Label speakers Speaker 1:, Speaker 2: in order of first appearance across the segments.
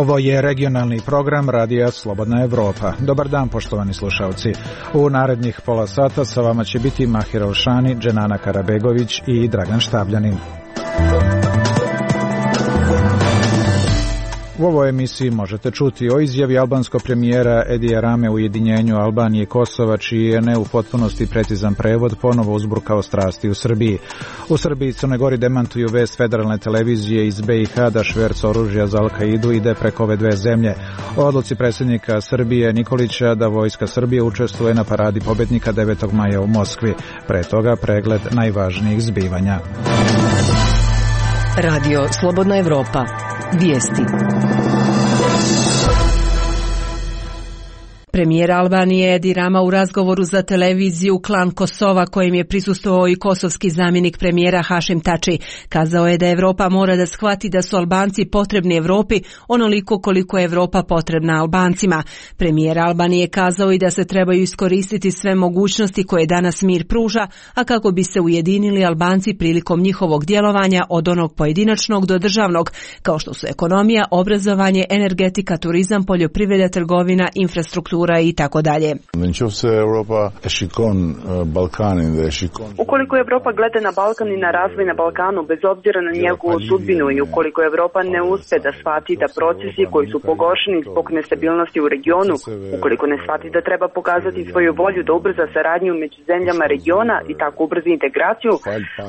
Speaker 1: Ovo je regionalni program Radija Slobodna Evropa. Dobar dan, poštovani slušalci. U narednih pola sata sa vama će biti Mahir Alšani, Dženana Karabegović i Dragan Štabljanin. U ovoj emisiji možete čuti o izjavi albanskog premijera Edija Rame u ujedinjenju Albanije i Kosova, čiji je ne u potpunosti precizan prevod ponovo uzburkao strasti u Srbiji. U Srbiji i Crnoj Gori demantuju vest federalne televizije iz BiH da šverc oružja za Al-Kaidu ide preko ove dve zemlje. O odluci predsjednika Srbije Nikolića da vojska Srbije učestvuje na paradi pobednika 9. maja u Moskvi. Pre toga pregled najvažnijih zbivanja.
Speaker 2: Radio Slobodna Evropa. Vijesti. Premijer Albanije Edi Rama u razgovoru za televiziju Klan Kosova, kojem je prisustvovao i kosovski zamjenik premijera Hašim Tači, kazao je da Evropa mora da shvati da su Albanci potrebni Evropi onoliko koliko je Evropa potrebna Albancima. Premijer Albanije kazao i da se trebaju iskoristiti sve mogućnosti koje danas mir pruža, a kako bi se ujedinili Albanci prilikom njihovog djelovanja od onog pojedinačnog do državnog, kao što su ekonomija, obrazovanje, energetika, turizam, poljoprivreda, trgovina, infrastruktura i tako dalje.
Speaker 3: Ukoliko Evropa gleda na Balkan i na razvoj na Balkanu bez obzira na njegovu sudbinu i ukoliko Evropa ne uspe da shvati da procesi koji su pogoršeni zbog nestabilnosti u regionu, ukoliko ne shvati da treba pokazati svoju volju da ubrza saradnju među zemljama regiona i tako ubrzi integraciju,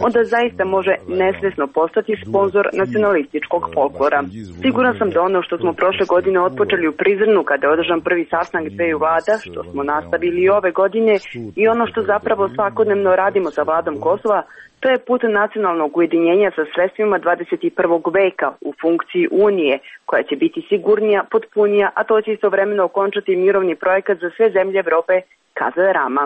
Speaker 3: onda zaista može nesvjesno postati sponzor nacionalističkog folklora. Siguran sam da ono što smo prošle godine otpočeli u Prizrenu kada je održan prvi sastanak dveju vlada, što smo nastavili i ove godine, i ono što zapravo svakodnevno radimo sa vladom Kosova, to je put nacionalnog ujedinjenja sa sredstvima 21. veka u funkciji Unije, koja će biti sigurnija, potpunija, a to će istovremeno okončati mirovni projekat za sve zemlje Evrope, kazao je Rama.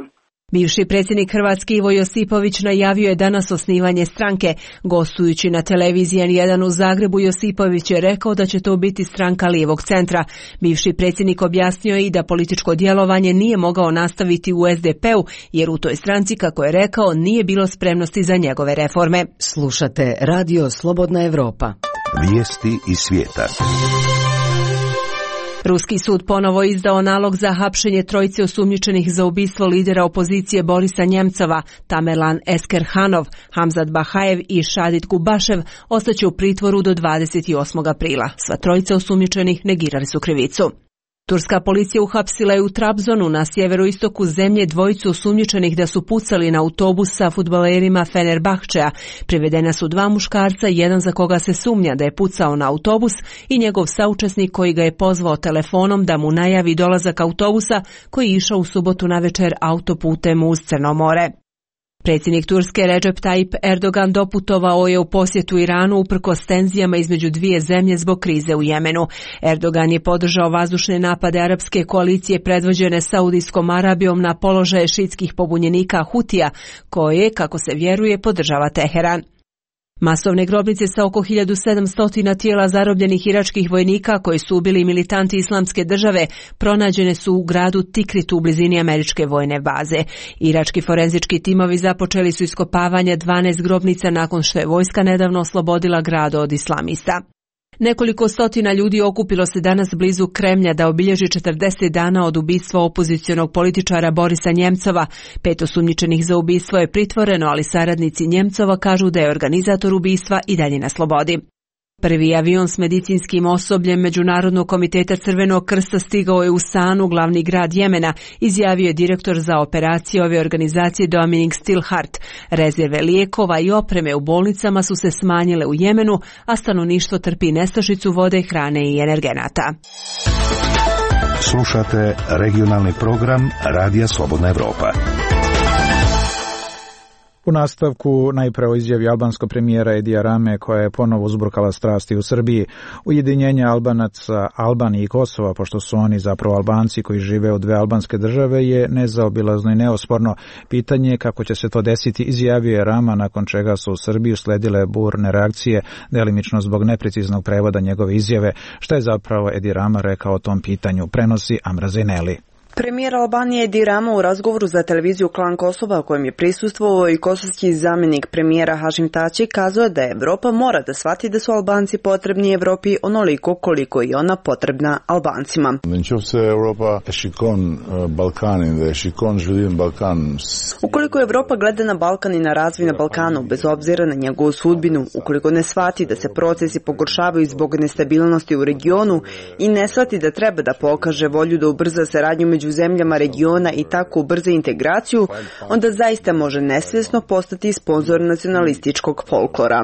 Speaker 2: Bivši predsjednik Hrvatske Ivo Josipović najavio je danas osnivanje stranke. Gostujući na televiziji N1 u Zagrebu, Josipović je rekao da će to biti stranka lijevog centra. Bivši predsjednik objasnio je i da političko djelovanje nije mogao nastaviti u SDP-u, jer u toj stranci, kako je rekao, nije bilo spremnosti za njegove reforme.
Speaker 4: Slušate Radio Slobodna Evropa.
Speaker 5: Vijesti iz svijeta.
Speaker 2: Ruski sud ponovo izdao nalog za hapšenje trojice osumnjičenih za ubistvo lidera opozicije Borisa Njemcova, Tamerlan Eskerhanov, Hamzat Bahajev i Šadit Kubašev ostaće u pritvoru do 28. aprila. Sva trojica osumnjičenih negirali su krivicu. Turska policija uhapsila je u Trabzonu na sjeveroistoku zemlje dvojicu osumnjičenih da su pucali na autobus sa fudbalerima Fenerbahčeja. Privedena su dva muškarca, jedan za koga se sumnja da je pucao na autobus i njegov saučesnik koji ga je pozvao telefonom da mu najavi dolazak autobusa koji je išao u subotu navečer autoputem uz Crno more. Predsjednik Turske Recep Tayyip Erdogan doputovao je u posjetu Iranu uprkos tenzijama između dvije zemlje zbog krize u Jemenu. Erdogan je podržao vazdušne napade arapske koalicije predvođene Saudijskom Arabijom na položaje šiitskih pobunjenika Hutija, koje, kako se vjeruje, podržava Teheran. Masovne grobnice sa oko 1700 tijela zarobljenih iračkih vojnika koji su ubili militanti Islamske države pronađene su u gradu Tikritu u blizini američke vojne baze. Irački forenzički timovi započeli su iskopavanje 12 grobnica nakon što je vojska nedavno oslobodila grad od islamista. Nekoliko stotina ljudi okupilo se danas blizu Kremlja da obilježi 40 dana od ubistva opozicionog političara Borisa Njemcova. 5 osumnjičenih za ubistvo je pritvoreno, ali saradnici Njemcova kažu da je organizator ubistva i dalje na slobodi. Prvi avion s medicinskim osobljem Međunarodnog komiteta Crvenog krsta stigao je u Sanu, glavni grad Jemena, izjavio je direktor za operacije ove organizacije Dominic Stillhart. Rezerve lijekova i opreme u bolnicama su se smanjile u Jemenu, a stanovništvo trpi nestašicu vode, hrane i energenata.
Speaker 5: Slušate regionalni program Radija Slobodna Evropa.
Speaker 1: U nastavku najprije o izjavi albanskog premijera Edija Rame koja je ponovo uzburkala strasti u Srbiji. Ujedinjenje Albanaca, Albanije i Kosova, pošto su oni zapravo Albanci koji žive u dve albanske države, je nezaobilazno i neosporno. Pitanje je kako će se to desiti, izjavio je Rama, nakon čega su u Srbiju sledile burne reakcije, delimično zbog nepreciznog prevoda njegove izjave. Šta je zapravo Edi Rama rekao o tom pitanju? Prenosi Amra Zeneli.
Speaker 3: Premijer Albanije Edi Rama u razgovoru za televiziju Klan Kosova, kojem je prisustvovao i kosovski zamjenik premijera Hašim Tači, kazao da Evropa mora da shvati da su Albanci potrebni Evropi onoliko koliko i ona potrebna Albancima. Ukoliko Evropa gleda na Balkan i na razvoj na Balkanu, bez obzira na njegovu sudbinu, ukoliko ne shvati da se procesi pogoršavaju zbog nestabilnosti u regionu i ne shvati da treba da pokaže volju da ubrza saradnju među zemljama regiona i tako ubrza integraciju, onda zaista može nesvjesno postati sponzor nacionalističkog folklora.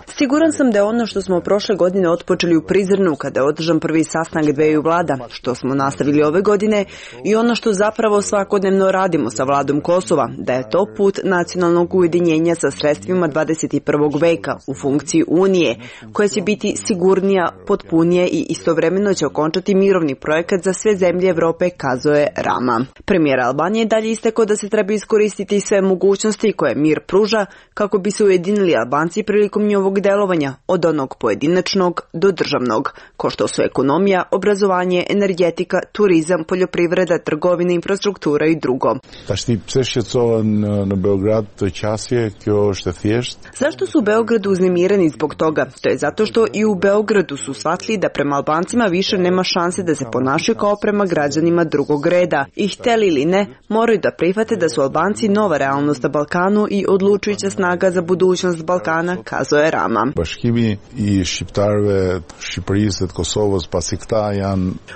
Speaker 3: Siguran sam da je ono što smo prošle godine otpočeli u Prizrenu kada je održan prvi sastanak dveju vlada, što smo nastavili ove godine i ono što zapravo svakodnevno radimo sa vladom Kosova, da je to put nacionalnog ujedinjenja sa sredstvima 21. veka u funkciji Unije, koja će biti sigurnija, potpunije i istovremeno će okončati mirovni projekat za sve zemlje Evrope, kazao je Rama. Premijer Albanije dalje istakao da se treba iskoristiti sve mogućnosti koje mir pruža kako bi se ujedinili Albanci prilikom njihovog delovanja, od onog pojedinačnog do državnog, ko što su ekonomija, obrazovanje, energetika, turizam, poljoprivreda, trgovina, infrastruktura i drugo. Zašto su u Beogradu uznemireni zbog toga? To je zato što i u Beogradu su shvatili da prema Albancima više nema šanse da se ponašaju kao prema građanima drugog reda. I hteli ili ne, moraju da prihvate da su Albanci nova realnost na Balkanu i odlučujuća snaga za budućnost Balkana, kazao je Rama.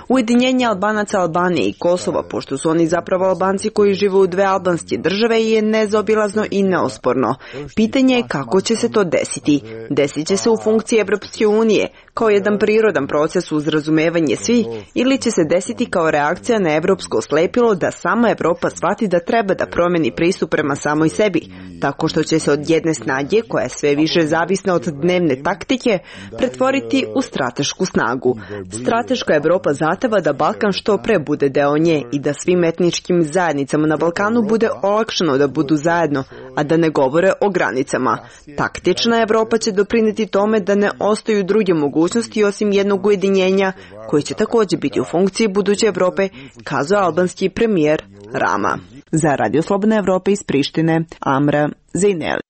Speaker 3: Ujedinjenje Albanaca Albanije i Kosova, pošto su oni zapravo Albanci koji žive u dve albanske države, je nezaobilazno i neosporno. Pitanje je kako će se to desiti. Desit će se u funkciji Evropske unije, kao jedan prirodan proces uz razumevanje svi, ili će se desiti kao reakcija na evropsko slepilo da sama Evropa shvati da treba da promeni pristup prema samoj sebi, tako što će se od jedne snage, koja je sve više zavisna od dnevne taktike, pretvoriti u stratešku snagu. Strateška Evropa zahteva da Balkan što pre bude deo nje i da svim etničkim zajednicama na Balkanu bude olakšano da budu zajedno, a da ne govore o granicama. Taktična Evropa će doprineti tome da ne ostaju druge mogućnosti osim jednog ujedinjenja, koji će također biti u funkciji buduće Evrope, kazao albanski premijer Rama. Za Radio Slobodna Evropa iz Prištine, Amra Zejneli.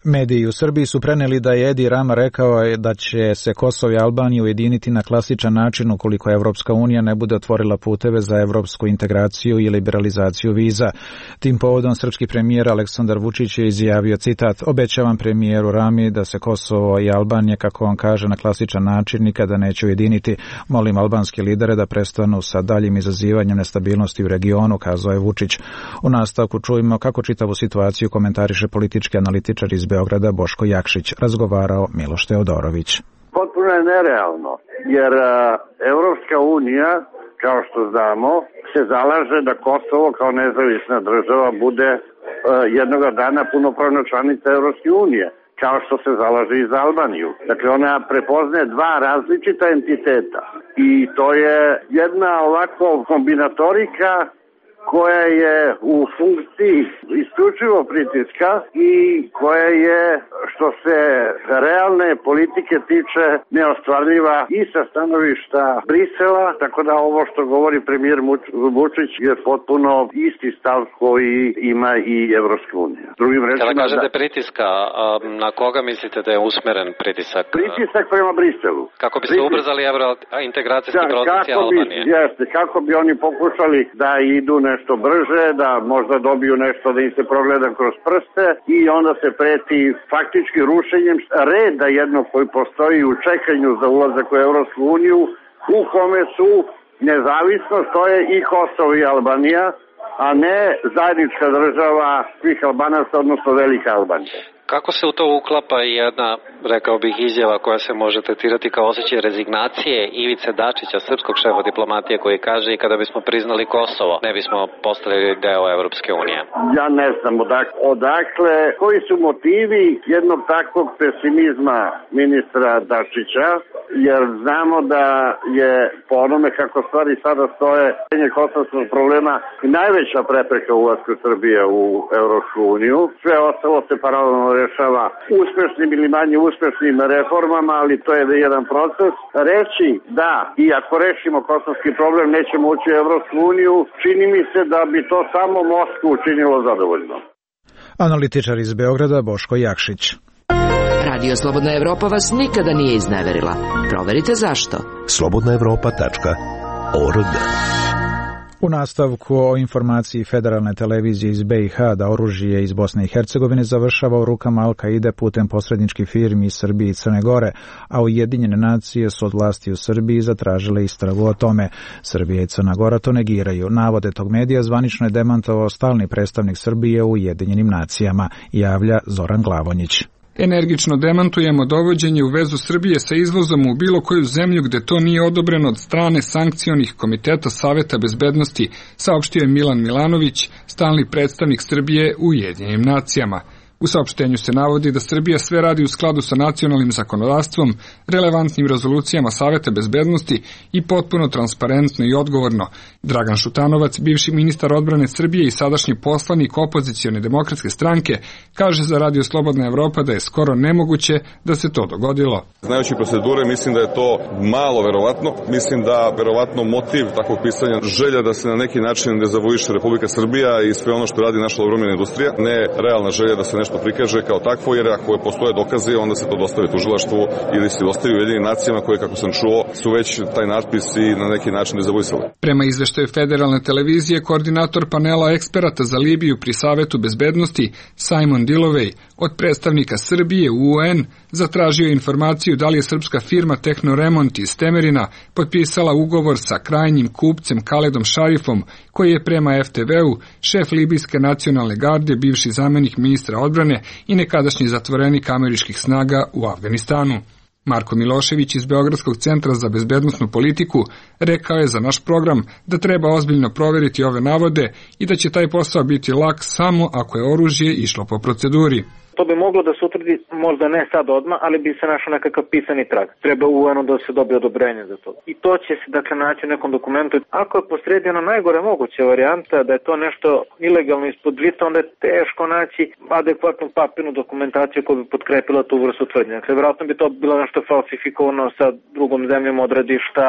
Speaker 1: Mediji u Srbiji su preneli da je Edi Rama rekao da će se Kosovo i Albanija ujediniti na klasičan način ukoliko Evropska unija ne bude otvorila puteve za evropsku integraciju i liberalizaciju viza. Tim povodom srpski premijer Aleksandar Vučić je izjavio, citat, obećavam premijeru Rami da se Kosovo i Albanija, kako on kaže, na klasičan način nikada neće ujediniti. Molim albanske lidere da prestanu sa daljim izazivanjem nestabilnosti u regionu, kazao je Vučić. U nastavku čujemo kako čitavu situaciju komentariše politički analitičar iz Beograda Boško Jakšić, razgovarao Miloš Teodorović.
Speaker 6: Potpuno je nerealno, jer Evropska unija, kao što znamo, se zalaže da Kosovo kao nezavisna država bude jednoga dana punopravna članica Evropske unije, kao što se zalaže i za Albaniju. Dakle, ona prepoznaje dva različita entiteta i to je jedna ovako kombinatorika koja je u funkciji isključivo pritiska i koja je, što se realne politike tiče, neostvarljiva i sa stanovišta Brisela, tako da ovo što govori premijer Vučić je potpuno isti stav koji ima i Evropska unija. Drugim rečima,
Speaker 7: kada kažete pritiska, na koga mislite da je usmeren pritisak?
Speaker 6: Pritisak prema Briselu.
Speaker 7: Kako bi se ubrzali integracijski procesi Albanije?
Speaker 6: Jeste, kako bi oni pokušali da idu nešto brže, da možda dobiju nešto da im se progleda kroz prste i onda se preti faktički rušenjem reda jednog koji postoji u čekanju za ulazak u Evropsku uniju, u kome su nezavisnost, to je i Kosovo i Albanija, a ne zajednička država svih Albanaca, odnosno Velika Albanija.
Speaker 7: Kako se u to uklapa jedna, rekao bih, izjava koja se može tretirati kao osjećaj rezignacije Ivice Dačića, srpskog šefa diplomatije, koji kaže i kada bismo priznali Kosovo, ne bismo postali deo Evropske unije?
Speaker 6: Ja ne znam odakle, koji su motivi jednog takvog pesimizma ministra Dačića, jer znamo da je po onome kako stvari sada stoje, kosovskog problema najveća prepreka ulasku Srbije u Evropsku uniju. Sve ostalo se paralelno rešava uspešnim ili manje uspešnim reformama, ali to je jedan proces. Reći da i ako rešimo kosovski problem nećemo ući u Evropsku uniju, čini mi se da bi to samo Moskvu učinilo zadovoljno.
Speaker 1: Analitičar iz Beograda Boško Jakšić.
Speaker 4: Radio Slobodna Evropa vas nikada nije izneverila. Proverite zašto.
Speaker 5: slobodnaevropa.org.
Speaker 1: U nastavku o informaciji Federalne televizije iz BiH da oružje iz Bosne i Hercegovine završava u rukama Al-Kaide putem posredničkih firmi iz Srbije i Crne Gore, a Ujedinjene nacije su od vlasti u Srbiji zatražile istragu o tome. Srbija i Crna Gora to negiraju. Navode tog medija zvanično je demantovao stalni predstavnik Srbije u Ujedinjenim nacijama, javlja Zoran Glavonjić.
Speaker 8: Energično demantujemo dovođenje u vezu Srbije sa izvozom u bilo koju zemlju gde to nije odobreno od strane sankcionih komiteta Saveta bezbednosti, saopštio je Milan Milanović, stalni predstavnik Srbije u Ujedinjenim nacijama. U saopštenju se navodi da Srbija sve radi u skladu sa nacionalnim zakonodavstvom, relevantnim rezolucijama Saveta bezbednosti i potpuno transparentno i odgovorno. Dragan Šutanovac, bivši ministar odbrane Srbije i sadašnji poslanik opozicione demokratske stranke, kaže za Radio Slobodna Evropa da je skoro nemoguće da se to dogodilo.
Speaker 9: Znajući procedure, mislim da je to malo verovatno. Mislim da verovatno motiv takvog pisanja želja da se na neki način dezavuiše Republika Srbija i sve ono što radi naša odbrambena industrija, ne realna želja da se nešto prikaže kao takvo, jer ako postoje dokazi, onda se to dostavi tužilaštvu ili se dostavi Ujedinjenim nacijama koje, kako sam čuo, su već taj natpis i na neki način dezavuisali.
Speaker 8: Prema izveštaju Federalne televizije, koordinator panela eksperata za Libiju pri Savetu bezbednosti Simon Dilovej od predstavnika Srbije u UN zatražio informaciju da li je srpska firma Tehnoremont iz Temerina potpisala ugovor sa krajnjim kupcem Kaledom Šarifom, koji je prema FTV-u šef Libijske nacionalne garde, bivši zamenik ministra odbrane i nekadašnji zatvorenik američkih snaga u Afganistanu. Marko Milošević iz Beogradskog centra za bezbednosnu politiku rekao je za naš program da treba ozbiljno proveriti ove navode i da će taj posao biti lak samo ako je oružje išlo po proceduri.
Speaker 10: To bi moglo da se utvrdi, možda ne sad odmah, ali bi se našao nekakav pisani trag. Treba UN da se dobije odobrenje za to. I to će se dakle naći u nekom dokumentu. Ako je posredi ona najgore moguća varijanta da je to nešto ilegalno ispod žita, onda je teško naći adekvatnu papirnu dokumentaciju koja bi potkrepila tu vrstu tvrdnje. Dakle, vjerojatno bi to bilo nešto falsifikovano sa drugom zemljom odredišta.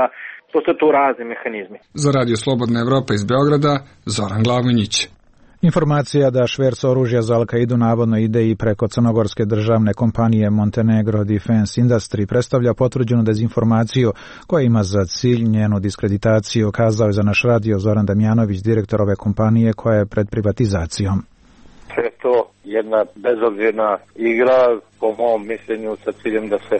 Speaker 10: Postoje tu razni mehanizmi.
Speaker 8: Za Radio Slobodna Evropa iz Beograda, Zoran Glavonjić.
Speaker 1: Informacija da šverc oružja za Al-Kaidu navodno ide i preko crnogorske državne kompanije Montenegro Defense Industry predstavlja potvrđenu dezinformaciju koja ima za cilj njenu diskreditaciju, kazao je za naš radio Zoran Damjanović, direktor ove kompanije koja je pred privatizacijom.
Speaker 10: Sve je to jedna bezobzirna igra, po mom mišljenju, sa ciljem da se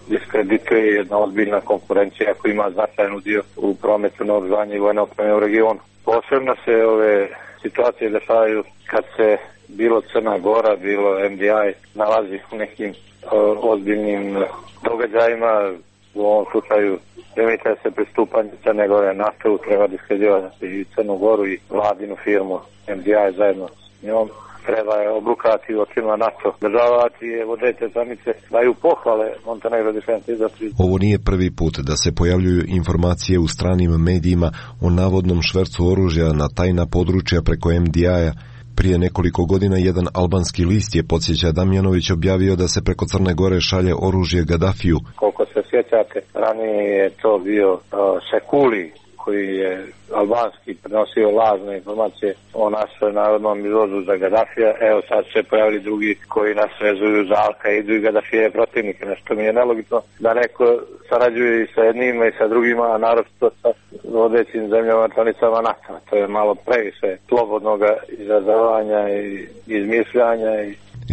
Speaker 10: diskredituje jedna ozbiljna konkurencija koja ima značajan udio u prometu naoružanja i vojne opreme u regionu. Posebno se ove situacije dešavaju kad se bilo Crna Gora, bilo MDI nalazi u nekim ozbiljnim događajima. U ovom slučaju remite se pristupanje Crne Gore NATO, treba diskreditovati i Crnu Goru i vladinu firmu MDI zajedno s njom. Treba je obrukati u očima NATO. Državati je vodeće članice daju pohvale Montenegro Defense Industry.
Speaker 11: Ovo nije prvi put da se pojavljuju informacije u stranim medijima o navodnom švercu oružja na tajna područja preko MDI-a. Prije nekoliko godina jedan albanski list je, podsjeća Damjanović, objavio da se preko Crne Gore šalje oružje Gadafiju.
Speaker 10: Koliko se sjećate, ranije je to bio Sekuli, koji je albanski prenosio lažne informacije o našoj narodnom izvozu za Gadafija. Evo sad se pojavili drugi koji nas vezuju za Al-Kaidu i Gadafije protivnike. Nešto mi je nelogično da neko sarađuje i sa jednima i sa drugima, a naročito sa vodećim zemljama članicama NATO. To je malo previše slobodnog izražavanja i izmišljanja.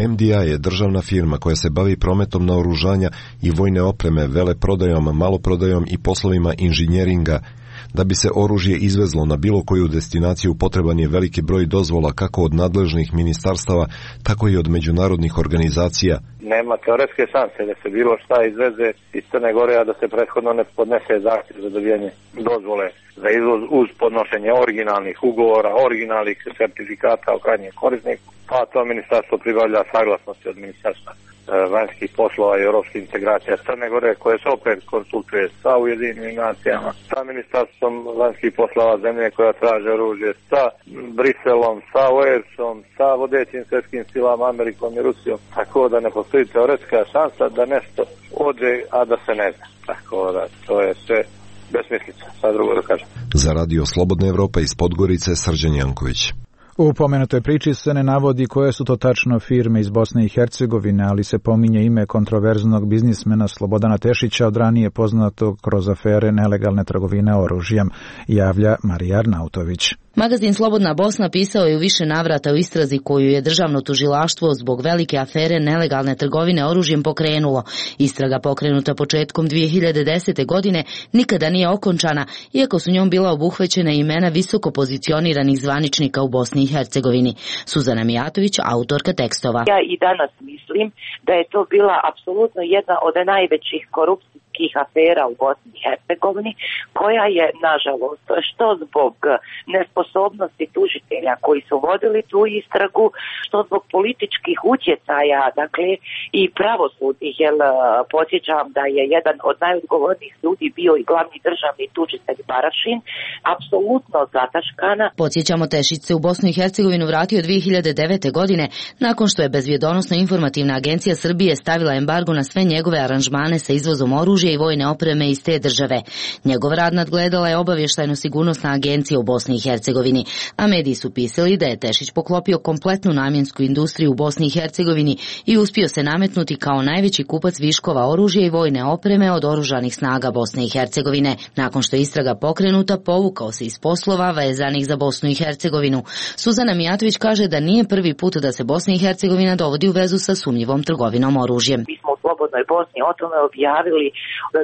Speaker 11: MDI je državna firma koja se bavi prometom naoružanja i vojne opreme, veleprodajom, maloprodajom i poslovima inženjeringa. Da bi se oružje izvezlo na bilo koju destinaciju potreban je veliki broj dozvola kako od nadležnih ministarstava, tako i od međunarodnih organizacija.
Speaker 10: Nema teoretske šanse da se bilo šta izveze iz Crne Gore, a da se prethodno ne podnese zahtjev za dobijanje dozvole za izvoz uz podnošenje originalnih ugovora, originalnih sertifikata o krajnjem korisniku, pa to ministarstvo pribavlja saglasnosti od ministarstva vanjskih poslova i europskih integracija Crne Gore, koje se opet konsultuje sa Ujedinjenim nacijama, sa Ministarstvom vanjskih poslova zemlje koja traže oružje, sa Briselom, sa OES-om, sa vodećim svjetskim silama Amerikom i Rusijom, tako da ne postoji teoretska šansa da nešto ođe, a da se ne zna. Tako da to je sve besmislica, sad drugo da kažem.
Speaker 11: Za Radio Slobodna Evropa iz Podgorice, Srđan Janković.
Speaker 1: U pomenutoj priči se ne navodi koje su to tačno firme iz Bosne i Hercegovine, ali se pominje ime kontroverznog biznismena Slobodana Tešića, od ranije poznatog kroz afere nelegalne trgovine oružjem, javlja Marija Arnautović.
Speaker 12: Magazin Slobodna Bosna pisao je u više navrata o istrazi koju je državno tužilaštvo zbog velike afere nelegalne trgovine oružjem pokrenulo. Istraga pokrenuta početkom 2010. godine nikada nije okončana, iako su njom bila obuhvaćena imena visoko pozicioniranih zvaničnika u Bosni i Hercegovini. Suzana Mijatović, autorka tekstova.
Speaker 13: Ja i danas mislim da je to bila apsolutno jedna od najvećih korupcijskih afera u Bosni i Hercegovini, koja je, nažalost, što zbog nesposobnosti tužitelja koji su vodili tu istragu, što zbog političkih utjecaja, dakle, i pravosudnih, jer podsjećam da je jedan od najodgovornijih ljudi bio i glavni državni tužitelj Barašin, apsolutno zataškana.
Speaker 12: Podsjećamo, Tešić se u Bosnu i Hercegovinu vratio 2009. godine, nakon što je Bezbjedonosno-informativna agencija Srbije stavila embargo na sve njegove aranžmane sa izvozom oružja i vojne opreme iz te države. Njegov rad nadgledala je obavještajno-sigurnosna agencija u Bosni i Hercegovini, a mediji su pisali da je Tešić poklopio kompletnu namjensku industriju u Bosni i Hercegovini i uspio se nametnuti kao najveći kupac viškova oružja i vojne opreme od oružanih snaga Bosne i Hercegovine. Nakon što je istraga pokrenuta, povukao se iz poslova vezanih za Bosnu i Hercegovinu. Suzana Mijatović kaže da nije prvi put da se Bosna i Hercegovina dovodi u vezu sa sumnjivom trgovinom oružjem.
Speaker 13: Mi smo u Slobodnoj Bosni o tome objavili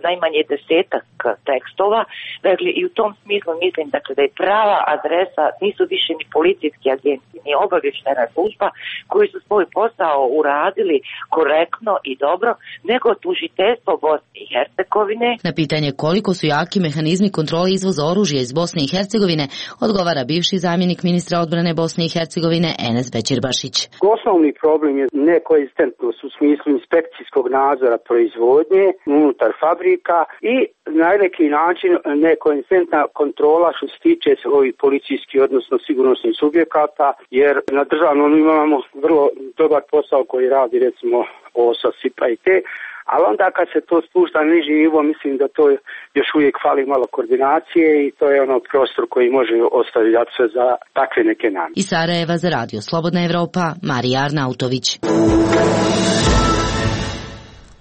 Speaker 13: najmanje 10 tekstova, dakle, i u tom smislu mislim, dakle, da je prava adresa nisu više ni policijski agenti, ni obavještajna služba koji su svoj posao uradili korektno i dobro, nego tužiteljstvo Bosne i Hercegovine.
Speaker 12: Na pitanje koliko su jaki mehanizmi kontrole izvoza oružja iz Bosne i Hercegovine odgovara bivši zamjenik ministra odbrane Bosne i Hercegovine Enes Bećirbašić.
Speaker 14: Osnovni problem je nekoegzistentnost u smislu inspekcijskog nadzora proizvodnje unutar fabrika i na neki način nekoegzistentna kontrola što se tiče ovih policijskih, odnosno sigurnosnih subjekata, jer na državnom imamo vrlo dobar posao koji radi recimo OSA, SIPA i te, ali onda kad se to spušta na niži nivo, mislim da to još uvijek fali malo koordinacije i to je ono prostor koji može ostavljati se za takve neke namjere.
Speaker 12: Iz Sarajeva za Radio Slobodna Evropa, Marija Arnautović.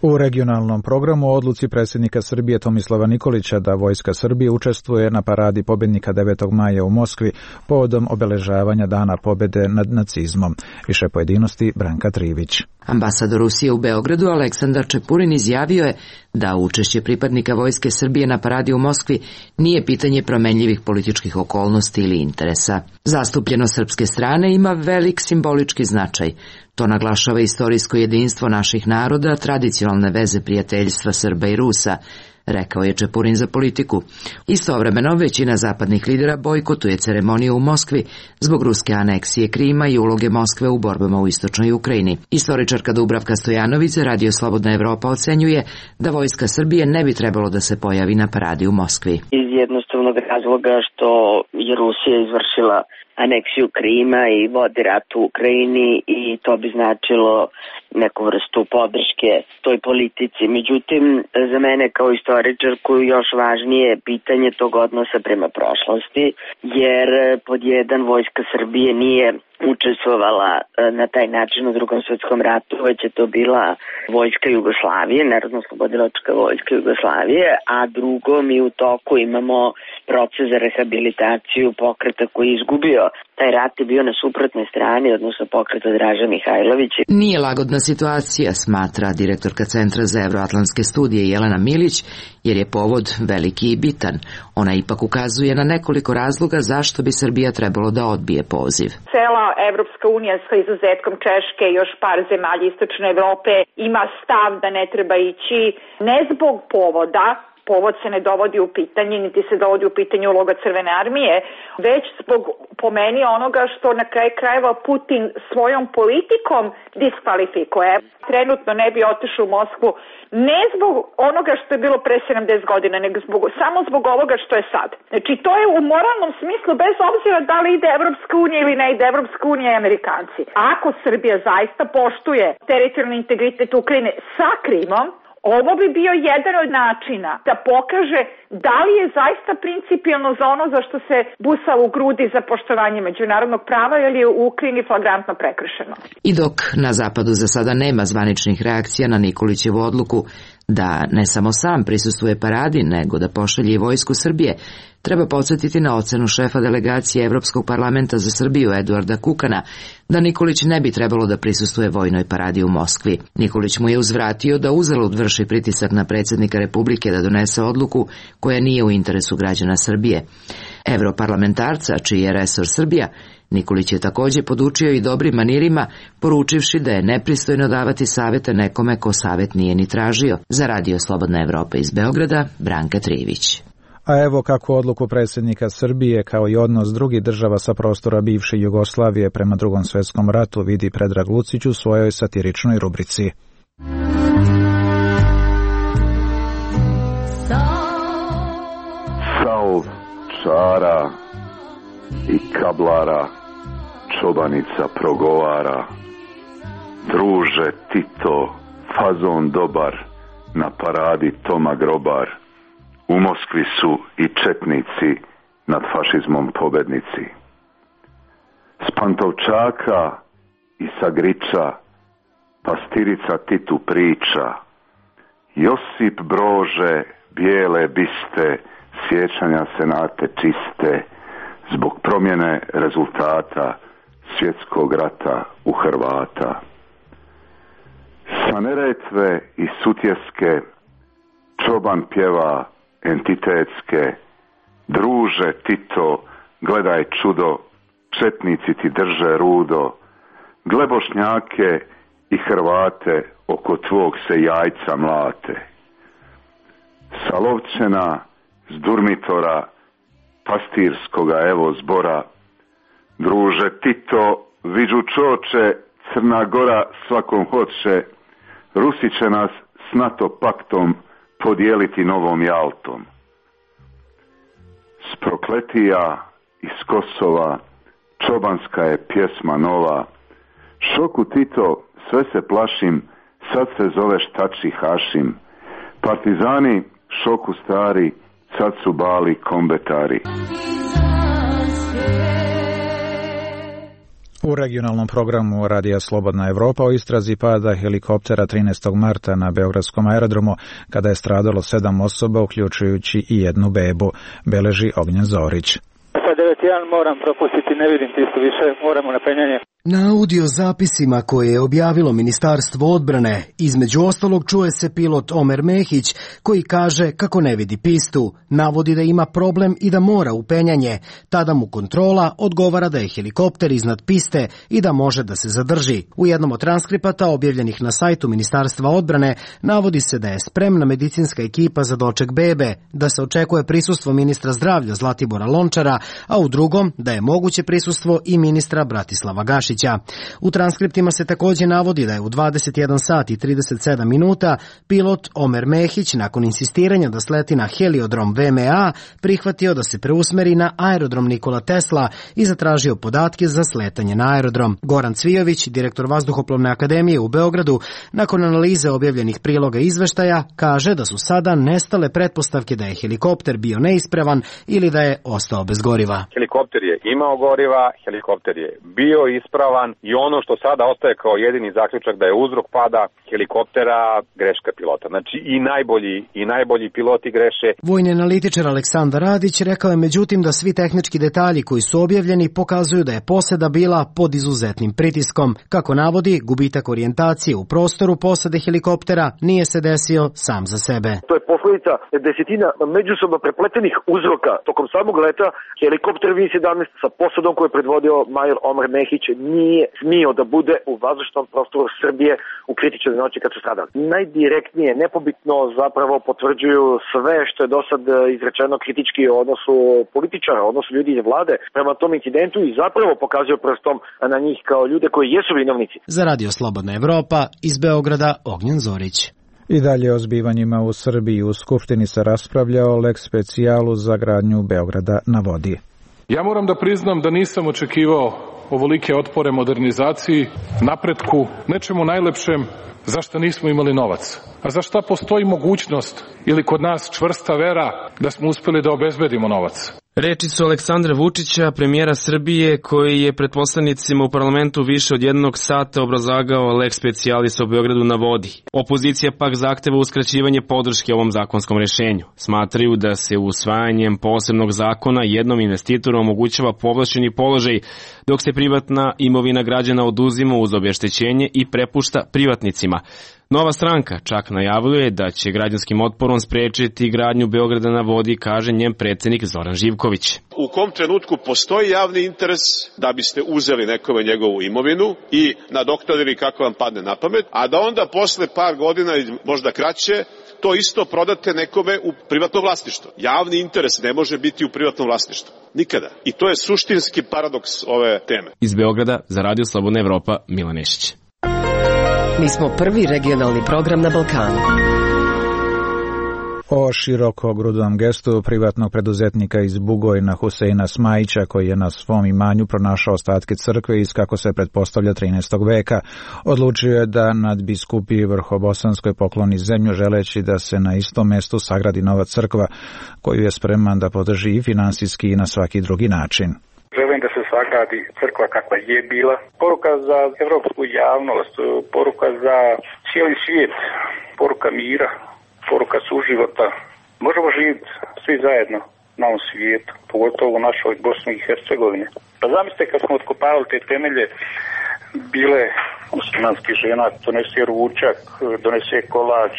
Speaker 1: U regionalnom programu o odluci predsjednika Srbije Tomislava Nikolića da Vojska Srbije učestvuje na paradi pobjednika 9. maja u Moskvi povodom obeležavanja Dana pobjede nad nacizmom. Više pojedinosti Branka Trivić.
Speaker 4: Ambasador Rusije u Beogradu Aleksandar Čepurin izjavio je da učešće pripadnika Vojske Srbije na paradi u Moskvi nije pitanje promenljivih političkih okolnosti ili interesa. Zastupljenost srpske strane ima velik simbolički značaj. To naglašava istorijsko jedinstvo naših naroda, tradicionalne veze prijateljstva Srba i Rusa, rekao je Čepurin za Politiku. Istovremeno, većina zapadnih lidera bojkotuje ceremoniju u Moskvi zbog ruske aneksije Krima i uloge Moskve u borbama u istočnoj Ukrajini. Istoričarka Dubravka Stojanović za Radio Slobodna Evropa ocenjuje da Vojska Srbije ne bi trebalo da se pojavi na paradi u Moskvi.
Speaker 15: Iz jednostavnog razloga što je Rusija izvršila aneksiju Krima i vodi rat u Ukrajini i to bi značilo neku vrstu podrške toj politici. Međutim, za mene kao istoričarku još važnije pitanje tog odnosa prema prošlosti, jer pod jedan Vojska Srbije nije učestvovala na taj način u Drugom svjetskom ratu, već je to bila Vojska Jugoslavije, Narodno-oslobodilačka Vojska Jugoslavije, a drugo, mi u toku imamo proces za rehabilitaciju pokreta koji je izgubio. Taj rat je bio na suprotnoj strani, odnosno pokreta Draža Mihajlovića.
Speaker 4: Nije lagodna situacija, smatra direktorka Centra za evroatlantske studije Jelena Milić, jer je povod veliki i bitan. Ona ipak ukazuje na nekoliko razloga zašto bi Srbija trebalo da odbije poziv.
Speaker 16: Cela Evropska unija sa izuzetkom Češke i još par zemalja istočne Evrope ima stav da ne treba ići ne zbog povoda, povod se ne dovodi u pitanje, niti se dovodi u pitanje uloga Crvene armije, već zbog, po meni, onoga što na kraju krajeva Putin svojom politikom diskvalifikuje. Trenutno ne bi otišao u Moskvu ne zbog onoga što je bilo pre 70 godina, nego samo zbog ovoga što je sad. Znači, to je u moralnom smislu, bez obzira da li ide Evropska unija ili ne ide Evropska unija i Amerikanci. Ako Srbija zaista poštuje teritorijalni integritet Ukrajine sa Krimom, ovo bi bio jedan od načina da pokaže da li je zaista principijelno za ono za što se busa u grudi za poštovanje međunarodnog prava ili je u Ukrajini flagrantno prekršeno.
Speaker 4: I dok na zapadu za sada nema zvaničnih reakcija na Nikolićevu odluku da ne samo sam prisustvuje paradi, nego da pošalje i vojsku Srbije, treba podsjetiti na ocenu šefa delegacije Evropskog parlamenta za Srbiju Eduarda Kukana da Nikolić ne bi trebalo da prisustvuje vojnoj paradi u Moskvi. Nikolić mu je uzvratio da uzalud vrši pritisak na predsjednika Republike da donese odluku koja nije u interesu građana Srbije. Evroparlamentarca, čiji je resor Srbija, Nikolić je također podučio i dobrim manirima, poručivši da je nepristojno davati savete nekome ko savet nije ni tražio. Za Radio Slobodna Evropa iz Beograda, Branka Trivić.
Speaker 1: A evo kako odluku predsjednika Srbije kao i odnos drugih država sa prostora bivše Jugoslavije prema Drugom svjetskom ratu vidi Predrag Lucić u svojoj satiričnoj rubrici.
Speaker 17: Saul, čara i kablara, čobanica progovara. Druže Tito, fazon dobar, na paradi Toma Grobar. U Moskvi su i četnici, nad fašizmom pobednici. S Pantovčaka i sa Griča, pastirica Titu priča. Josip Brože, bijele biste, sjećanja senate čiste, zbog promjene rezultata svjetskog rata u Hrvata. Sa Neretve i Sutjeske, čoban pjeva entitetske. Druže Tito, gledaj čudo, četnici ti drže rudo. Gle Bošnjake i Hrvate, oko tvog se jajca mlate. Sa Lovćena, s Durmitora, pastirskoga evo zbora. Druže Tito, viđu čoče, Crna Gora svakom hoće. Rusi će nas s NATO paktom podijeliti novom Jaltom. S Prokletija iz Kosova, čobanska je pjesma nova. Šoku Tito, sve se plašim, sad se zoveš Tači Hašim. Partizani, šoku stari, sad su bali kombetari.
Speaker 1: U regionalnom programu Radija Slobodna Evropa o istrazi pada helikoptera 13. marta na Beogradskom aerodromu kada je stradalo 7 osoba, uključujući i jednu bebu, beleži Ognjen Zorić.
Speaker 18: Sa 9.1 moram propustiti, ne vidim tisto više, moramo na penjanje.
Speaker 19: Na audio zapisima koje je objavilo Ministarstvo odbrane, između ostalog čuje se pilot Omer Mehić koji kaže kako ne vidi pistu, navodi da ima problem i da mora u penjanje. Tada mu kontrola odgovara da je helikopter iznad piste i da može da se zadrži. U jednom od transkripata objavljenih na sajtu Ministarstva odbrane navodi se da je spremna medicinska ekipa za doček bebe, da se očekuje prisustvo ministra zdravlja Zlatibora Lončara, a u drugom da je moguće prisustvo i ministra Bratislava Gašića. U transkriptima se također navodi da je u 21 sat i 37 minuta pilot Omer Mehić nakon insistiranja da sleti na heliodrom VMA prihvatio da se preusmeri na aerodrom Nikola Tesla i zatražio podatke za sletanje na aerodrom. Goran Cvijović, direktor Vazduhoplovne akademije u Beogradu, nakon analize objavljenih priloga izveštaja, kaže da su sada nestale pretpostavke da je helikopter bio neispravan ili da je ostao bez goriva.
Speaker 20: Helikopter je imao goriva, helikopter je bio ispravan i ono što sada ostaje kao jedini zaključak da je uzrok pada helikoptera greška pilota. Znači i najbolji piloti greše.
Speaker 19: Vojni analitičar Aleksandar Radić rekao je međutim da svi tehnički detalji koji su objavljeni pokazuju da je posada bila pod izuzetnim pritiskom. Kako navodi, gubitak orijentacije u prostoru posade helikoptera nije se desio sam za sebe.
Speaker 20: To je
Speaker 21: posledica desetina međusobno prepletenih uzroka. Tokom samog leta helikopter VN-17 sa posadom koju je predvodio major Omer Mehić nije smio da bude u vazdušnom prostoru Srbije u kritičnoj noći kad su stradali. Najdirektnije, nepobitno zapravo potvrđuju sve što je do sad izrečeno kritički o odnosu političara, odnosu ljudi iz vlade prema tom incidentu i zapravo pokazuju prstom na njih kao ljude koji jesu vinovnici.
Speaker 19: Za Radio Slobodna Evropa iz Beograda Ognjen Zorić.
Speaker 1: I dalje o zbivanjima u Srbiji. U Skupštini se raspravlja o lex specijalu za gradnju Beograda na vodi.
Speaker 22: Ja moram da priznam da nisam očekivao ovolike otpore modernizaciji, napretku, nečemu najlepšem za što nismo imali novac. A za šta postoji mogućnost ili kod nas čvrsta vera da smo uspeli da obezbedimo novac.
Speaker 23: Reči su Aleksandra Vučića, premijera Srbije, koji je pred poslanicima u parlamentu više od 1 sata obrazlagao lex specialis o Beogradu na vodi. Opozicija pak zahteva uskraćivanje podrške ovom zakonskom rešenju. Smatraju da se usvajanjem posebnog zakona jednom investitoru omogućava povlašćeni položaj, dok se privatna imovina građana oduzima uz obeštećenje i prepušta privatnicima. Nova stranka čak najavljuje da će građanskim otporom sprečiti gradnju Beograda na vodi, kaže njen predsednik Zoran Živković.
Speaker 24: U kom trenutku postoji javni interes da biste uzeli nekome njegovu imovinu i nadoknadili kako vam padne na pamet, a da onda posle par godina ili možda kraće to isto prodate nekome u privatno vlasništvo. Javni interes ne može biti u privatnom vlasništvu. Nikada. I to je suštinski paradoks ove teme.
Speaker 23: Iz Beograda za Radio Slobodna Evropa, Milan Nešić.
Speaker 25: Mi smo prvi regionalni program na Balkanu.
Speaker 1: O širokogrudnom gestu privatnog preduzetnika iz Bugojna Huseina Smajića, koji je na svom imanju pronašao ostatke crkve iz, kako se pretpostavlja, 13. veka, odlučio je da nadbiskupiji Vrhobosanskoj pokloni zemlju, želeći da se na istom mestu sagradi nova crkva, koju je spreman da podrži i finansijski i na svaki drugi način.
Speaker 26: Želim da se sagradi crkva kakva je bila. Poruka za evropsku javnost, poruka za cijeli svijet, poruka mira, poruka suživota. Možemo živjeti svi zajedno na ovom svijetu, pogotovo u našoj Bosni i Hercegovini. Pa zamislite kad smo otkopavali te temelje, bile muslimanskih žena, donese ručak, donese kolač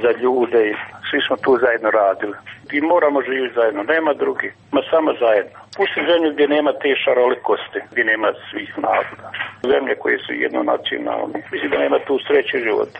Speaker 26: za ljude i svi smo tu zajedno radili. I moramo živjeti zajedno, nema drugi, ma samo zajedno. Pusti zemlju gdje nema te šarolikosti, gdje nema svih naroda. Zemlje koje su jednonacionalne. Mislim da nema tu sreće života.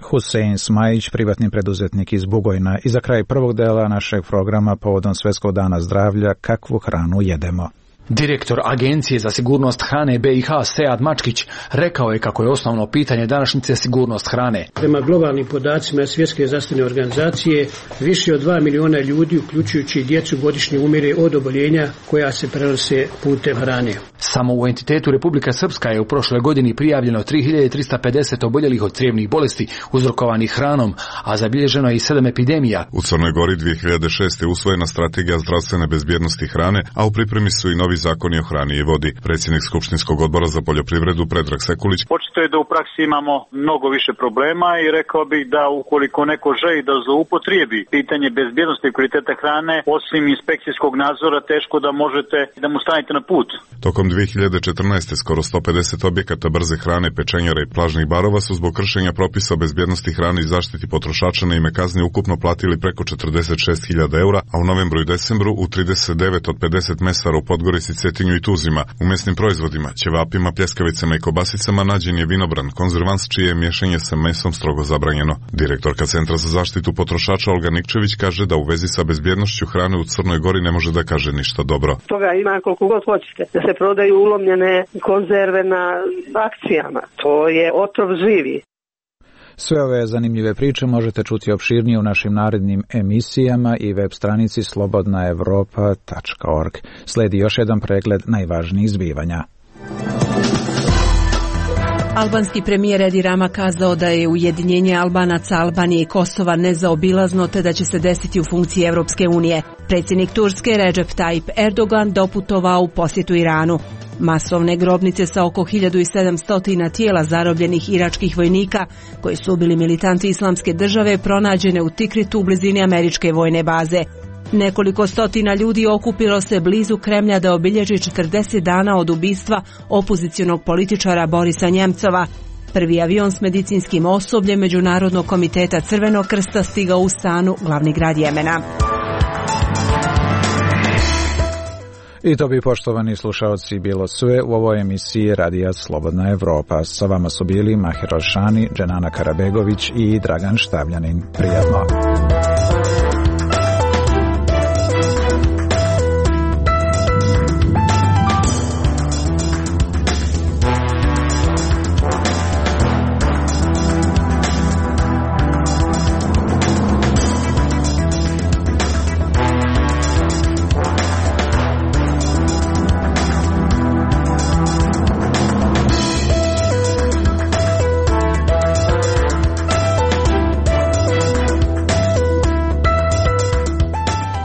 Speaker 1: Husein Smajić, privatni preduzetnik iz Bugojna. I za kraj prvog dela našeg programa povodom Svetskog dana zdravlja, kakvu hranu jedemo.
Speaker 27: Direktor Agencije za sigurnost hrane BiH Sead Mačkić rekao je kako je osnovno pitanje današnjice sigurnost hrane.
Speaker 28: Prema globalnim podacima Svjetske zdravstvene organizacije, više od 2 miliona ljudi, uključujući djecu, godišnje umire od oboljenja koja se prenose putem hrane.
Speaker 27: Samo u entitetu Republika Srpska je u prošloj godini prijavljeno 3350 oboljelih od crijevnih bolesti uzrokovanih hranom, a zabilježeno je i 7 epidemija.
Speaker 9: U Crnoj Gori 2006. je usvojena strategija zdravstvene bezbjednosti hrane, a u pripremi su i novi zakoni o hrani i vodi. Predsjednik Skupštinskog odbora za poljoprivredu Predrag Sekulić.
Speaker 29: Očito je da u praksi imamo mnogo više problema i rekao bih da ukoliko neko želi da zloupotrijebi pitanje bezbjednosti i kvaliteta hrane, osim inspekcijskog nadzora, teško da možete da mu stanete na put.
Speaker 9: Tokom 2014. skoro 150 objekata brze hrane, pečenjara i plažnih barova su zbog kršenja propisa o bezbjednosti hrane i zaštiti potrošača na ime kazni ukupno platili preko 46.000 eura, a u novembru i decembru u 39 od 50 mesara u Podgorici, Cetinju i Tuzima. U mesnim proizvodima, ćevapima, pljeskavicama i kobasicama nađen je vinobran, konzervans čije je miješanje sa mesom strogo zabranjeno. Direktorka Centra za zaštitu potrošača Olga Nikčević kaže da u vezi sa bezbjednošću hrane u Crnoj Gori ne može da kaže ništa dobro.
Speaker 30: Toga ima koliko god hoćete, da se prodaju ulomljene konzerve na akcijama. To je otrov živi.
Speaker 1: Sve ove zanimljive priče možete čuti opširnije u našim narednim emisijama i web stranici slobodnaevropa.org. Sledi još jedan pregled najvažnijih zbivanja.
Speaker 2: Albanski premijer Edi Rama kazao da je ujedinjenje Albanaca, Albanije i Kosova nezaobilazno te da će se desiti u funkciji Evropske unije. Predsjednik Turske Recep Tayyip Erdogan doputovao u posjetu Iranu. Masovne grobnice sa oko 1700 tijela zarobljenih iračkih vojnika koji su ubili militanti Islamske države pronađene u Tikritu u blizini američke vojne baze. Nekoliko stotina ljudi okupilo se blizu Kremlja da obilježi 40 dana od ubistva opozicionog političara Borisa Njemcova. Prvi avion s medicinskim osobljem Međunarodnog komiteta Crvenog krsta stigao u Sanu, glavni grad Jemena.
Speaker 1: I to bi, poštovani slušaoci, bilo sve u ovoj emisiji Radija Slobodna Evropa. Sa vama su bili Mahir Alšani, Dženana Karabegović i Dragan Štavljanin. Prijatno.